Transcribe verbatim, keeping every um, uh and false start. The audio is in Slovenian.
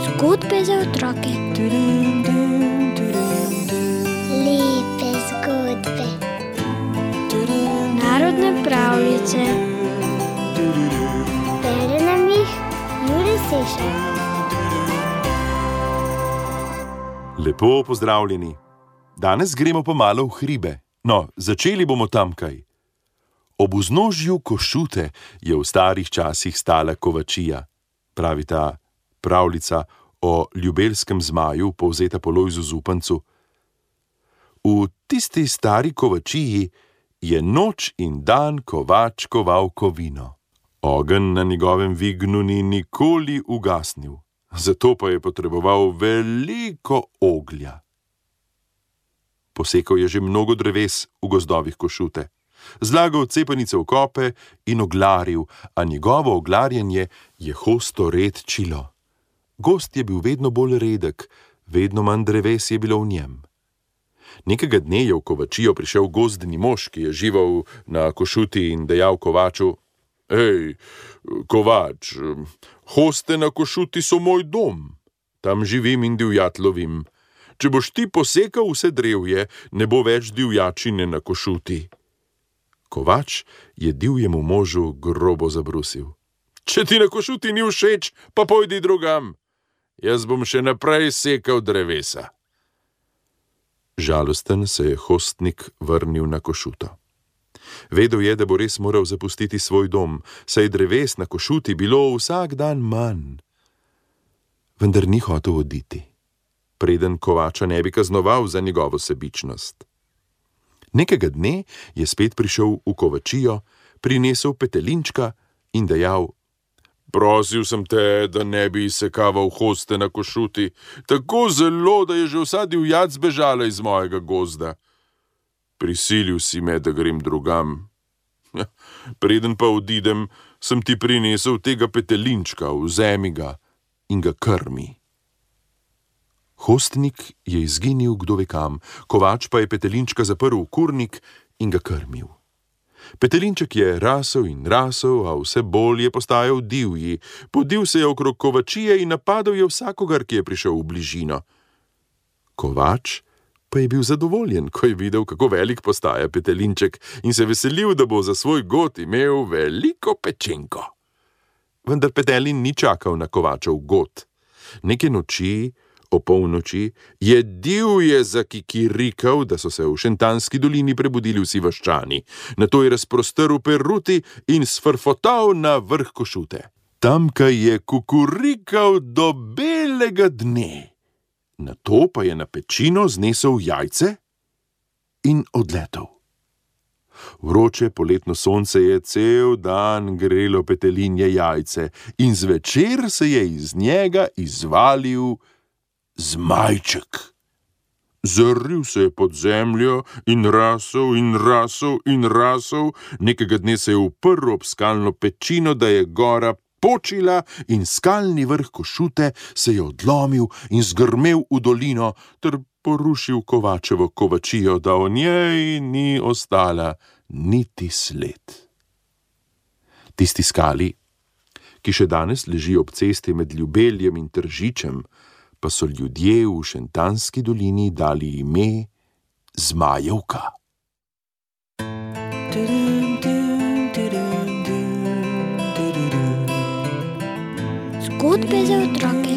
Zgodbe za otroke. Lepe zgodbe. Narodne pravljice. Bere nam jih Jure Sešar. Lepo pozdravljeni. Danes gremo pomalo v hribe. No, začeli bomo tamkaj. Ob vznožju Košute je v starih časih stala kovačija, pravi ta pravljica o ljubelskem zmaju, povzeta po Lojzu Zupancu. V tisti stari kovačiji je noč in dan kovač koval kovino. Ogenj na njegovem vignu ni nikoli ugasnil, zato pa je potreboval veliko oglja. Posekal je že mnogo dreves v gozdovih Košute, zlagal cepanice v kope in oglaril, a njegovo oglarjenje je hosto redčilo. Gozd je bil vedno bolj redek, vedno manj dreves je bilo v njem. Nekega dne je v kovačijo prišel gozdni mož, ki je živel na Košuti, in dejal kovaču: Ej, kovač, hoste na Košuti so moj dom. Tam živim in divjad lovim. Če boš ti posekal vse drevje, ne bo več divjačine na Košuti. Kovač je divjemu možu grobo zabrusil: Če ti na Košuti ni všeč, pa pojdi drugam. Jaz bom še naprej sekal drevesa. Žalosten se je hostnik vrnil na Košuto. Vedel je, da bo res moral zapustiti svoj dom, saj dreves na Košuti bilo vsak dan manj. Vendar ni hotel oditi, preden kovača ne bi kaznoval za njegovo sebičnost. Nekega dne je spet prišel v kovačijo, prinesel petelinčka in dejal: Prosil sem te, da ne bi sekaval hoste na Košuti, tako zelo, da je že vsa divjad zbežala iz mojega gozda. Prisilil si me, da grem drugam. Ja, preden pa odidem, sem ti prinesel tega petelinčka, vzemi ga in ga krmi. Hostnik je izginil kdo ve kam, kovač pa je petelinčka zaprl v kurnik in ga krmil. Petelinček je rasel in rasel, a vse bolj je postajal divji. Podil se je okrog kovačije in napadal je vsakogar, ki je prišel v bližino. Kovač pa je bil zadovoljen, ko je videl, kako velik postaja petelinček, in se veselil, da bo za svoj god imel veliko pečenko. Vendar petelin ni čakal na kovačev god. Neke noči, o polnoči, je divje zakikirikal, da so se v Šentanski dolini prebudili vsi vaščani. Nato je razprostrl peruti in sfrfotal na vrh Košute. Tamkaj je kukurikal do belega dne. Nato pa je na pečino znesel jajce in odletel. Vroče poletno sonce je cel dan grelo petelinje jajce in zvečer se je iz njega izvalil zmajček. Zaril se je pod zemljo in rasel in rasel in rasel, nekega dne se je uprl ob skalno pečino, da je gora počila, in skalni vrh Košute se je odlomil in zgrmel v dolino ter porušil kovačevo kovačijo, da o njej ni ostala niti sled. Tisti skali, ki še danes leži ob cesti med Ljubeljem in Tržičem, pa so ljudje v Šentanski dolini dali ime Zmajevka. Zgodbe za otroke.